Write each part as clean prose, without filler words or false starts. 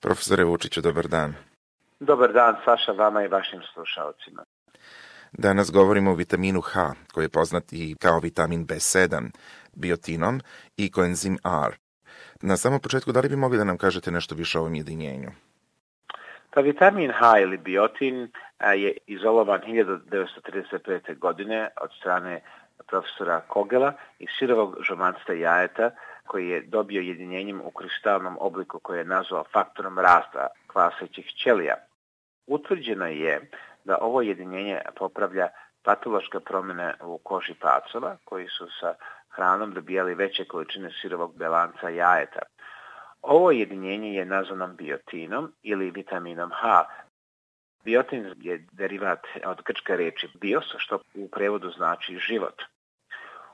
Profesore Vučiću, dobar dan. Dobar dan, Saša, vama i vašim slušalcima. Danas govorimo o vitaminu H, koji je poznat i kao vitamin B7, biotinom i koenzim R. Na samom početku, da li bi mogli da nam kažete nešto više o ovom jedinjenju? Pa vitamin H ili biotin je izolovan 1935. godine od strane profesora Kogela iz sirovog žomancta jajeta, koji je dobio jedinjenjem u kristalnom obliku koje je nazvao faktorom rasta kvasećih ćelija. Utvrđeno je da ovo jedinjenje popravlja patološke promjene u koži pacova koji su sa hranom dobijali veće količine sirovog belanca jajeta. Ovo jedinjenje je nazvano biotinom ili vitaminom H. Biotin je derivat od grčke riječi bios, što u prevodu znači život.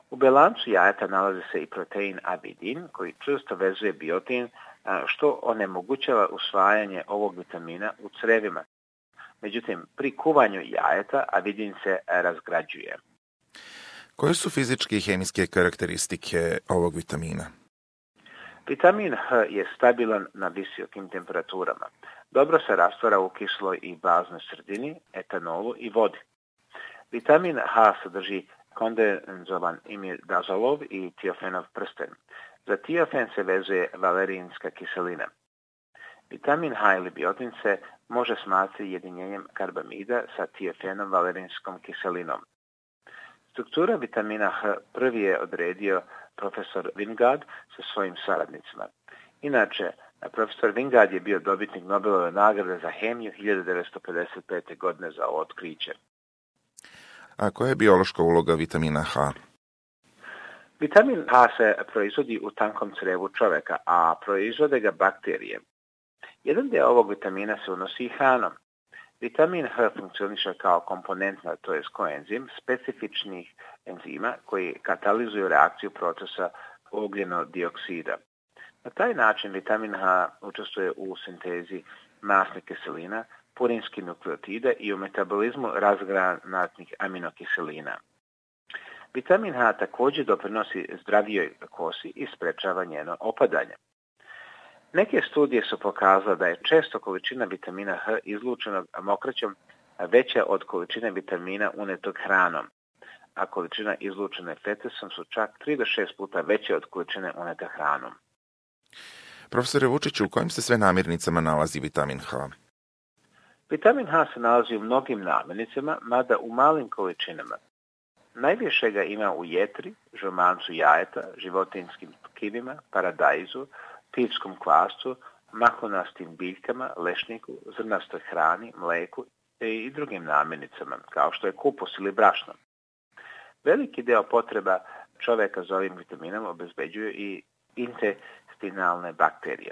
U belancu jajeta nalazi se i protein avidin koji čvrsto vezuje biotin, što onemogućava usvajanje ovog vitamina u crevima. Međutim, pri kuvanju jajeta avidin se razgrađuje. Koje su fizičke i hemijske karakteristike ovog vitamina? Vitamin H je stabilan na visokim temperaturama. Dobro se rastvara u kisloj i baznoj sredini, etanolu i vodi. Vitamin H sadrži kondenzovan imidazolov i tiofenov prsten. Za tiofen se vezuje valerinska kiselina. Vitamin H ili biotin se može smatrati jedinjenjem karbamida sa tiofenom valerinskom kiselinom. Struktura vitamina H prvi je odredio profesor Wingard sa svojim saradnicima. Inače, profesor Wingard je bio dobitnik Nobelove nagrade za hemiju 1955. godine za ovo otkriće. A koja je biološka uloga vitamina H? Vitamin H se proizvodi u tankom crevu čovjeka, a proizvode ga bakterije. Jedan dio ovog vitamina se unosi hranom. Vitamin H funkcioniše kao komponentna, to je koenzim, specifičnih enzima koji katalizuju reakciju procesa ugljenodioksida. Na taj način vitamin H učestvuje u sintezi masnih kiselina, purinskih nukleotida i u metabolizmu razgranatnih aminokiselina. Vitamin H također doprinosi zdravijoj kosi i sprečava njeno opadanje. Neke studije su pokazale da je često količina vitamina H izlučenog mokraćom veća od količine vitamina unetog hranom, a količina izlučene fetesom su čak 3 do 6 puta veće od količine unete hranom. Profesore Vučiću, u kojim se sve namirnicama nalazi vitamin H? Vitamin H se nalazi u mnogim namirnicama, mada u malim količinama. Najviše ga ima u jetri, žomancu jajeta, životinjskim tkivima, paradajzu, pivskom kvasu, mahnastim biljkama, lešniku, zrnastoj hrani, mleku i drugim namirnicama, kao što je kupus ili brašno. Veliki deo potreba čovjeka za ovim vitaminom obezbeđuju i intestinalne bakterije.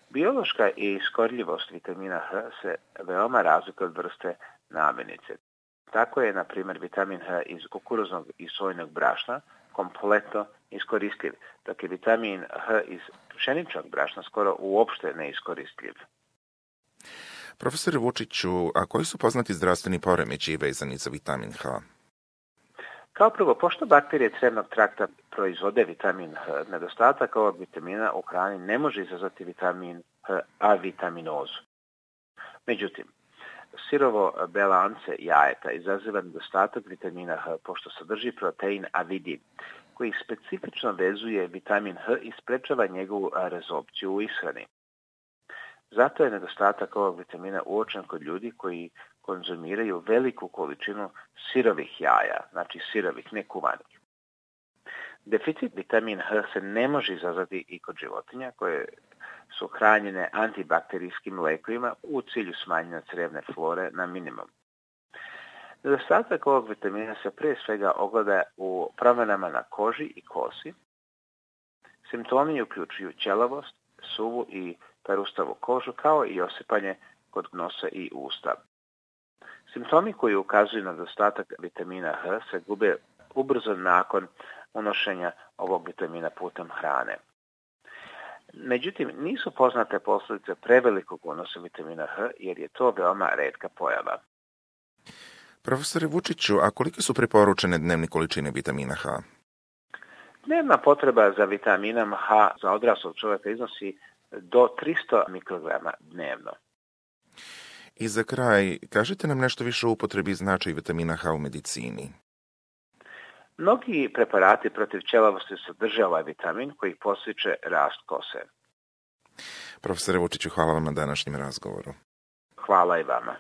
Biološka iskorljivost vitamina H se veoma razlikuje od vrste namirnice. Tako je, na primjer, vitamin H iz kukuruznog i sojnog brašna kompletno iskoristljiv, dok je vitamin H iz pšeničnog brašna skoro uopšte neiskoristljiv. Profesore Vučiću, a koji su poznati zdravstveni poremećaji vezani za vitamin H? Kao prvo, pošto bakterije crevnog trakta proizvode vitamin H, nedostatak ovog vitamina u hrani ne može izazvati vitamin H avitaminozu. Međutim, sirovo belance jajeta izaziva nedostatak vitamina H pošto sadrži protein avidin, koji specifično vezuje vitamin H i sprečava njegovu rezopciju u ishrani. Zato je nedostatak ovog vitamina uočen kod ljudi koji konzumiraju veliku količinu sirovih jaja, znači sirovih, ne kuvanih. Deficit vitamina H se ne može izazvati i kod životinja koje su hranjene antibakterijskim lekovima u cilju smanjenja crevne flore na minimum. Nedostatak ovog vitamina se prije svega ogleda u promjenama na koži i kosi. Simptomi uključuju ćelavost, suvu i perustavu kožu, kao i osipanje kod nosa i usta. Simptomi koji ukazuju na nedostatak vitamina H se gube ubrzo nakon unošenja ovog vitamina putem hrane. Međutim, nisu poznate posljedice prevelikog unosa vitamina H, jer je to veoma retka pojava. Profesore Vučiću, a kolike su preporučene dnevne količine vitamina H? Dnevna potreba za vitaminom H za odraslog čovjeka iznosi do 300 mikrograma dnevno. I za kraj, kažite nam nešto više o upotrebi i značaju vitamina H u medicini. Mnogi preparati protiv ćelavosti sadrže ovaj vitamin koji podstiče rast kose. Profesore Vučiću, hvala vam na današnjem razgovoru. Hvala i vama.